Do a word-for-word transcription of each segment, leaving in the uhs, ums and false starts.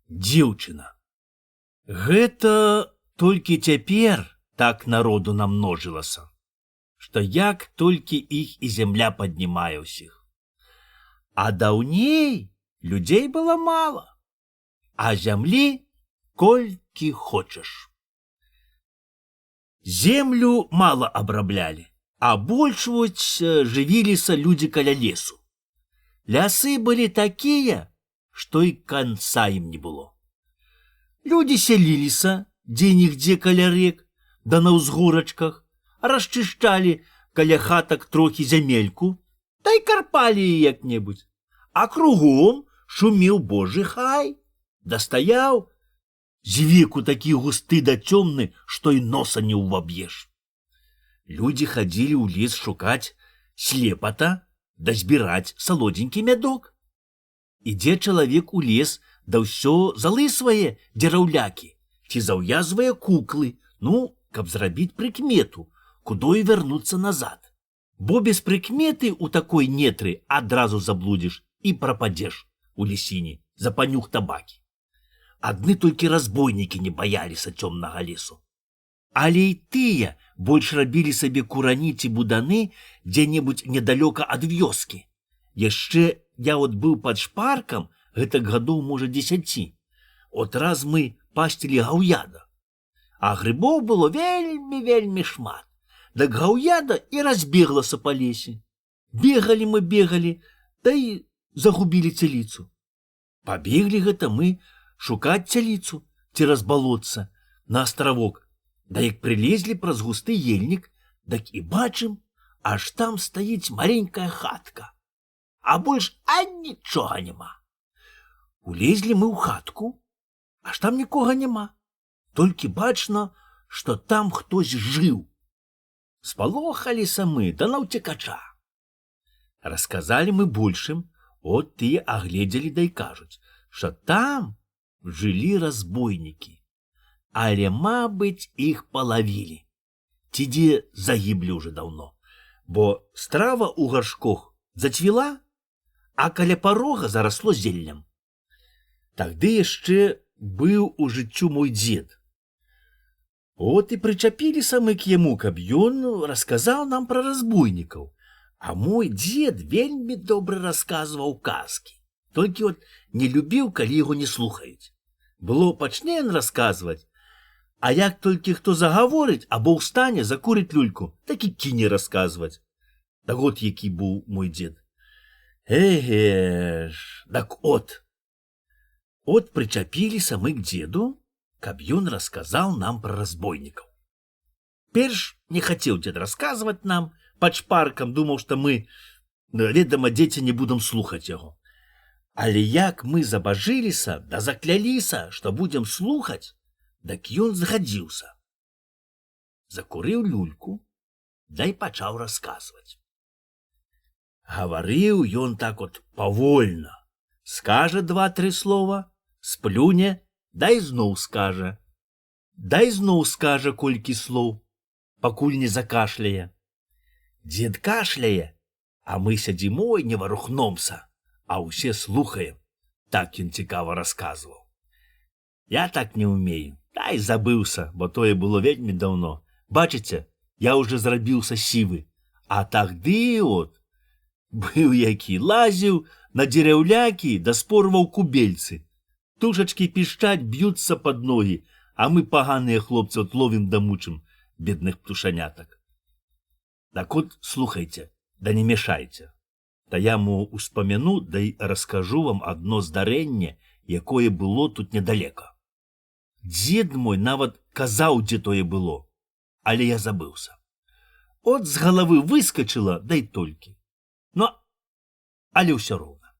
Дзеўчына. Гэта толькі цяпер так народу намножылася, што як толькі іх і зямля паднімае ўсіх. А даўней людзей было мала, а зямлі колькі хочаш. Землю мала абраблялі, а больш вось жывіліся людзі каля лесу. Лясы былі такія, што і канца ім не было. Людзі сяліліся дзе-нігдзе каля рэк, да на ўзгорачках, расчышчалі каля хатак трохі зямельку, та й карпалі як-небудзь. А кругом шумеў божы хай, дастаяў звеку такі густы да цёмны, што і носа не ўваб'еш. Людзі хадзілі ў лес шукаць слепата да збіраць салодзенькі мядок. Ідзе чалавек у лес, да ўсё залысвае дзераўлякі ці заўязвае куклы, ну, каб зрабіць прыкмету, кудой вярнуцца назад. Бо без прыкметы ў такой нетры адразу заблудзіш і прападзеш у лесіне за панюх табакі. Адны толькі разбойнікі не баяліся цёмнага лесу. Але і тыя больш рабілі сабе курані ці буданы дзе-небудзь недалёка ад вёскі. Яшчэ я от быў пад шпаркам, гэтак гадоў, можа, дзесяці. От раз мы пасцілі гаўяда. А грыбоў было вельмі-вельмі шмат. Дак гаўяда і разбеглася па лесе. Бегалі мы, бегалі, да і загубілі цяліцу. Пабеглі гэта мы шукаць цяліцу цераз балотца на астравок. Да як прылезлі праз густы ельнік, дак і бачым, аж там стаіць маленькая хатка. А больш а нічога няма. Улезлі мы ў хатку, аж там нікога няма. Толькі бачна, што там хтось жыў. Спалохаліся мы да наўцекача. Расказалі мы большым, от тыя агледзелі да і кажуць, што там жылі разбойнікі. Але, мабыць, іх палавілі. Ці дзе загіблі ўжо даўно. Бо страва ў гаршкох зацвіла, а каля парога зарасло зеллем. Тагды яшчэ быў у жыццю мой дзед. От і прычапіліся мы к яму, каб ён расказаў нам пра разбойнікаў. А мой дзед вельмі добра расказваў казкі. Толькі от не любіў, калі яго не слухаюць. Было пачне ён расказваць, а як толькі хто загаворыць або ўстане, закурыць люльку, так і кіне расказваць. Так от які быў мой дзед. Эге ж, так от. От прычапіліся мы к дзеду, каб ён расказаў нам пра разбойнікаў. Перш не хацеў дзед расказваць нам, пад шпаркам думаў, што мы, ведама, дзеці не будам слухаць яго. Але як мы забажыліся, да закляліся, што будзем слухаць, дак ён згадзіўся. Закурыў люльку, да і пачаў расказваць. Гаварыў ён так от павольна. Скажа два-тры слова, сплюне, да і зноў скажа. Да і зноў скажа колькі слоў, пакуль не закашляе. Дзед кашляе, а мы сядзімо і не варухномся, а ўсе слухаем. Так ён цікава расказваў. Я так не ўмею. Та й забыўся, бо тое было вельмі даўно. Бачыце, я ўжо зрабіўся сівы. А тагды от быў які, лазіў на дзераўлякі да спорваў кубельцы. Тушачкі пішчаць, б'юцца пад ногі, а мы паганыя хлопцы от ловім да мучым бедных птушанятак. Так от слухайце, да не мешайце. Та я мо успамяну, да й раскажу вам адно здарэнне, якое было тут недалека. Дзед мой нават казаў, дзе тое было, але я забыўся. От з галавы выскачыла, да й толькі. Ну, але ўсё роўна.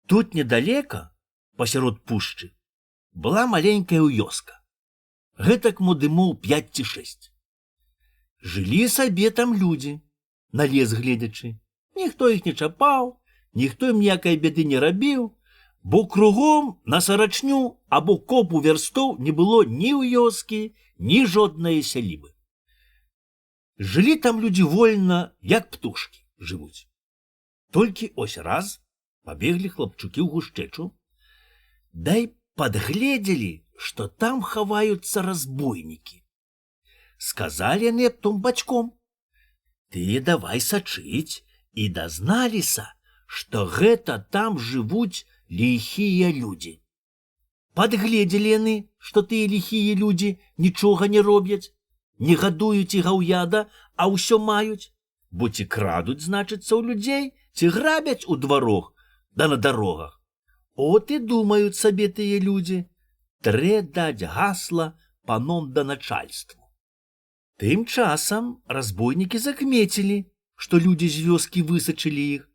Тут недалека, пасярод пушчы, была маленькая вёска. Гэтак мо дымоў пяць ці шэсць. Жылі сабе там людзі, на лес гледзячы. Ніхто іх не чапаў, ніхто ім ніякай бяды не рабіў, бо кругом на сарачню або копу вярстоў не было ні вёскі, ні жоднае сялібы. Жылі там людзі вольна, як птушкі жывуць. Толькі ось раз пабеглі хлапчукі ў гушчэчу. дай подгледели, что там хаваются разбойники. Сказали они птом бачком: ты давай сачыць, и дазналіся, что гэта там живут лихие люди. Подгледели яны, что тыя лихие люди нічога не робяць, не гадуюць і гаўяда, а ўсё маюць, бо ці крадуць, значыцца, у людзей, ці грабяць у дварах да на дарогах. От і думаюць сабе тыя людзі: трэ даць гасла паном да начальству. Тым часам разбойнікі закмецілі, што людзі з вёскі высачылі іх,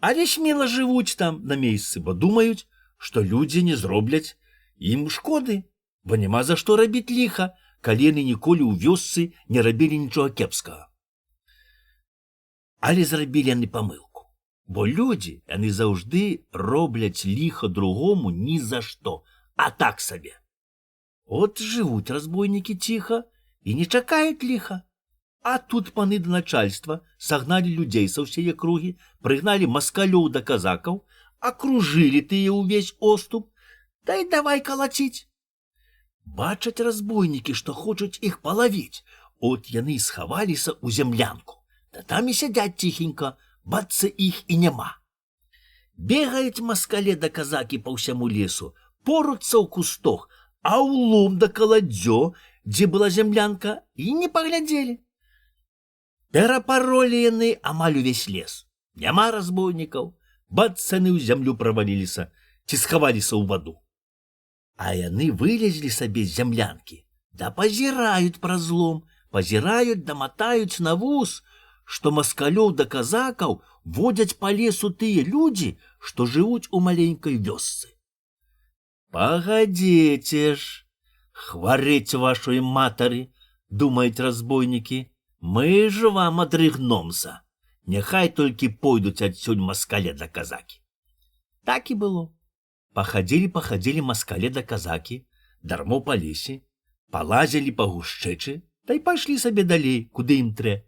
але смела жывуць там на месцы, бо думаюць, што людзі не зробляць ім шкоды, бо няма за што рабіць ліха, калі яны ніколі ў вёсцы не рабілі нічога кепскага. Але зрабілі яны памылку, бо людзі, яны заўжды робляць ліха другому ні за што, а так сабе. От жывуць разбойнікі ціха і не чакаюць ліха. А тут паны да начальства сагналі людзей са ўсей акругі, прыгналі маскалёў да казакаў, акружылі тыя ўвесь оступ, да і давай калаціць. Бачаць разбойнікі, што хочуць іх палавіць, от яны схаваліся ў зямлянку, да там і сядзяць ціхенька, бацца іх і няма. Бегаюць маскале да казакі па ўсяму лесу, поруцца ў кустох, а ў лом да каладзё, дзе была зямлянка, і не паглядзелі. Перапаролі яны амаль увесь лес. Няма разбойнікаў, бацаны ў зямлю праваліліся, ці схаваліся ў ваду. А яны вылезлі сабе з зямлянкі, да пазіраюць праз лом, пазіраюць да матаюць на вус, што маскалёў да казакаў водзяць па лесу тыя людзі, што жывуць у маленькай вёсцы. Пагадзіце ж, хварэць вашай матары, думаюць разбойнікі, мы ж вам адрыгномся. Няхай толькі пойдуць адсюль маскале да казакі. Так і было. Пахадзілі-пахадзілі маскале да казакі, дармо па лесе, палазілі па гушчэчы, та й пайшлі сабе далей, куды ім трэ.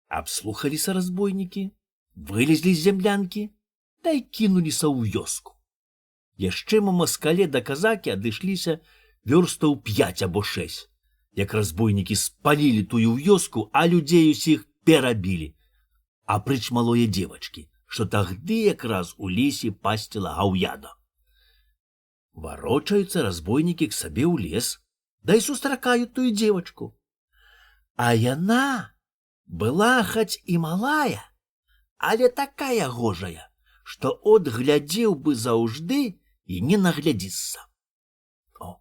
Абслухаліся разбойнікі, вылезлі з зямлянкі, та й кінуліся ў вёску. Яшчэ мо маскале да казакі адышліся вёрстаў п'яць або шэсць, як разбойнікі спалілі тую вёску, а людзей усіх перабілі. Апрыч малое девачкі, што тагды якраз у лесе пасціла гаўяда. Варочаюцца разбойнікі к сабе ў лес, да і сустракаюць тую девачку. А яна была хаць і малая, але такая гожая, што от глядзеў бы заўжды і не наглядзіцца. О,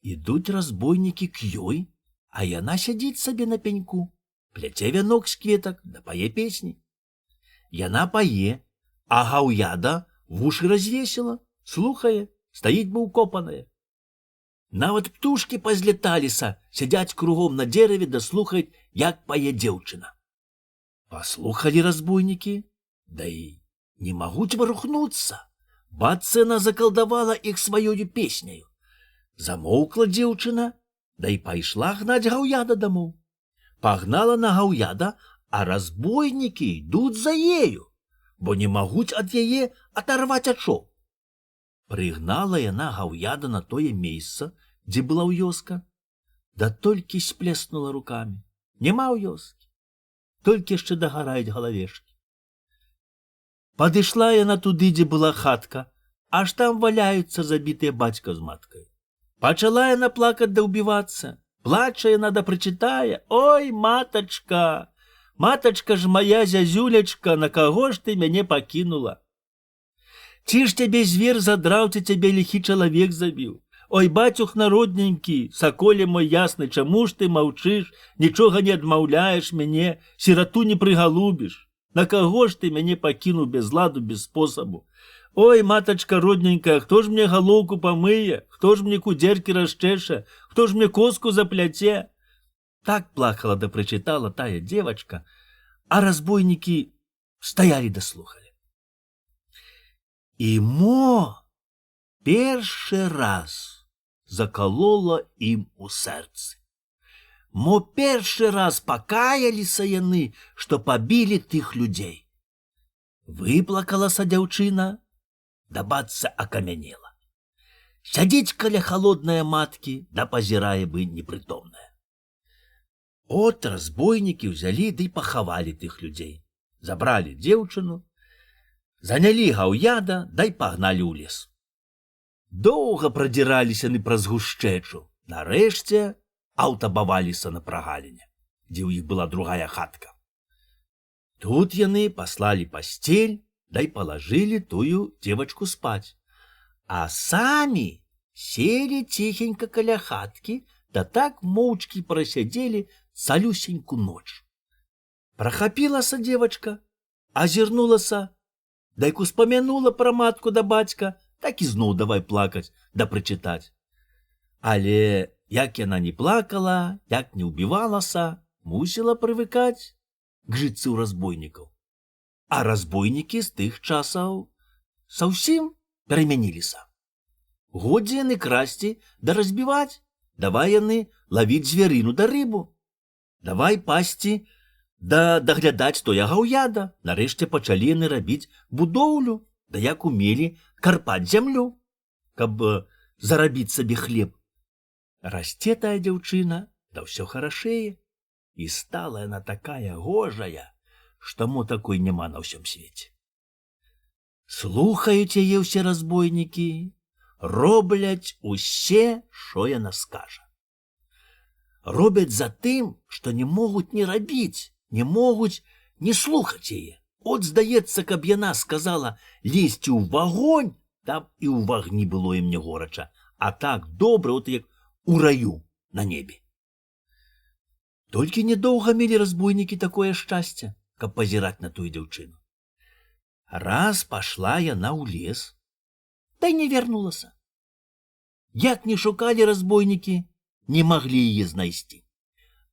ідуць разбойнікі к ёй, а яна сядзіць сабе на пеньку, пляце вянок з кветак, да пае песні. Яна пае, а гаўяда вушы развесіла, слухае, стаіць бы укопаная. Нават птушкі пазлеталіся, сядзяць кругом на дзераве да слухаюць, як пае дзеўчына. Паслухалі разбойнікі, да і не могуць варухнуцца. Бацца яна закалдавала іх сваёю песняю. Замоўкла дзеўчына, да і пайшла гнаць гаўяда дамоў. Пагнала на гаўяда, а разбойнікі ідуць за ею, бо не могуць ад яе адарваць ачоў. Прыгнала яна гаўяда на тое месца, дзе была вёска, да толькі сплеснула рукамі. Няма вёскі, толькі яшчэ дагараюць галавешкі. Падышла яна туды, дзе была хатка, аж там валяюцца забітыя бацька з маткай. Пачала яна плакаць да ўбівацца. Плача яна да прычытае: ой, матачка, матачка ж моя зязюлечка, на каго ж ты мяне пакінула? Ці ж цябе звер задраў, ці цябе ліхі чалавек забіў? Ой, бацюхна родненькі, саколе мой ясны, чаму ж ты маўчыш, нічога не адмаўляеш мяне, сірату не прыгалубіш? На каго ж ты мяне пакінуў без ладу, без спосабу? Ой, матачка родненькая, хто ж мне галоўку памые, хто ж мне кудзеркі расчэша, хто ж мне коску запляце? Так плакала да прычытала тая девачка, а разбойнікі стаялі да слухалі. І мо першы раз закалола ім у сэрцы. Мо першы раз пакаяліся яны, што пабілі тых людзей. Выплакалася дзяўчына, да бацца акамянела. Сядзіць каля халоднае маткі, да пазірае бы непрытомная. От разбойнікі ўзялі ды пахавалі тых людзей. Забралі дзеўчыну, занялі гаўяда, дай пагналі ў лес. Доўга прадзіраліся яны праз гушчэчу. Нарэшце аўтабаваліся на прагаліне, дзе ў іх была другая хатка. Тут яны паслалі пасцель, дай палажылі тую дзевачку спаць, а самі селі ціхенька каля хаткі, да так моўчкі прасядзелі цалюсеньку ноч. Прахапілася дзевачка, азірнулася, дайк успамянула пра матку да бацька, так і зноў давай плакаць да прычытаць. Але як яна не плакала, як не ўбівалася, мусіла прывыкаць к жыццю разбойнікаў. А разбойнікі з тых часаў зусім перамяніліся. Годзе яны красці да разбіваць, давай яны лавіць звярыну да рыбу, давай пасці да даглядаць тоя гаўяда. Нарэшце пачалі яны рабіць будоўлю, да як умелі карпаць зямлю, каб зарабіць сабе хлеб. Расце тая дзяўчына, да ўсё харашэе, і стала яна такая гожая, што мо такой няма на ўсім свеце. Слухаюць яе ўсе разбойнікі, робляць усе, што яна скажа. Робяць за тым, што не могуць не рабіць, не могуць не слухаць яе. От, здаецца, каб яна сказала лезці ў вагонь, там і ў вагні было ім не горача, а так добра, от як у раю на небе. Толькі недоўга мелі разбойнікі такое шчасце, каб пазіраць на тую дзяўчыну. Раз пашла яна ў лес, да і не вярнулася. Як не шукалі разбойнікі, не маглі яе знайсці.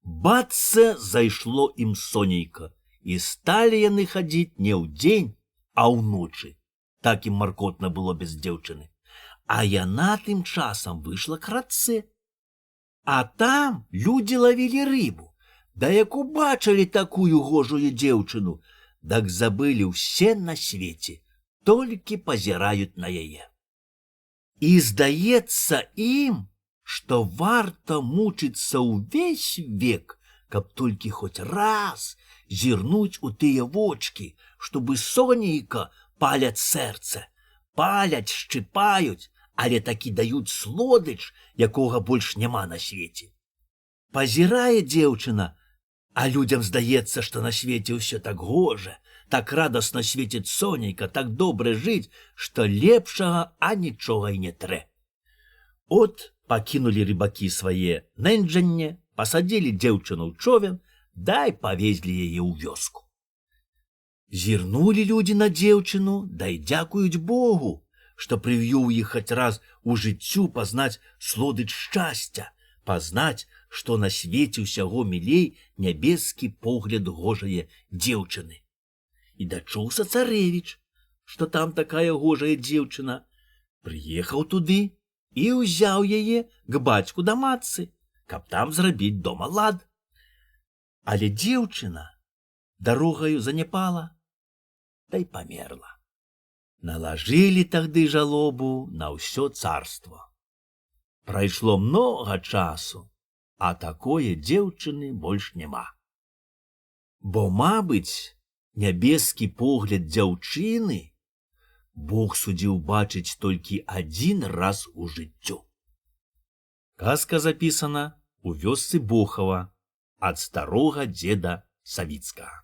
Бацца, зайшло ім сонейка, і сталі яны хадзіць не ў дзень, а ўночы. Так ім маркотна было без дзеўчыны. А яна тым часам выйшла к рацэ. А там людзі лавілі рыбу, да як убачылі такую гожую дзеўчыну, дак забылі ўсе на свеце, толькі пазіраюць на яе. І здаецца ім, што варта мучыцца ўвесь век, каб толькі хоць раз зірнуць у тыя вочкі, што бы сонейка паляць сэрца, паляць, шчыпаюць, але такі даюць слодыч, якога больш няма на свеце. Пазірае дзеўчына, а людзям здаецца, што на свеце ўсё так гожа, так радасна свеціць сонейка, так добра жыць, што лепшага а нічога і не трэ. От пакінулі рыбакі свае нэнджанне, пасадзілі дзеўчыну ў човен, дай павезлі яе ў вёску. Зірнулі людзі на дзеўчыну, дай дзякуюць Богу, што прывёў іх хоць раз у жыццю пазнаць слодыч шчасця, пазнаць, што на свеце ўсяго мілей нябескі погляд гожае дзеўчыны. І дачуўся царэвіч, што там такая гожая дзеўчына, прыехаў туды і ўзяў яе к бацьку да матцы, каб там зрабіць дома лад. Але дзеўчына дарогаю заняпала, да й памерла. Налажылі тагды жалобу на ўсё царство. Прайшло многа часу, а такое дзеўчыны больш няма. Бо, мабыць, нябескі погляд дзяўчыны Бог судзіў бачыць толькі адзін раз у жыццю. Казка запісана у вёсцы Бохава ад старога дзеда Савіцкага.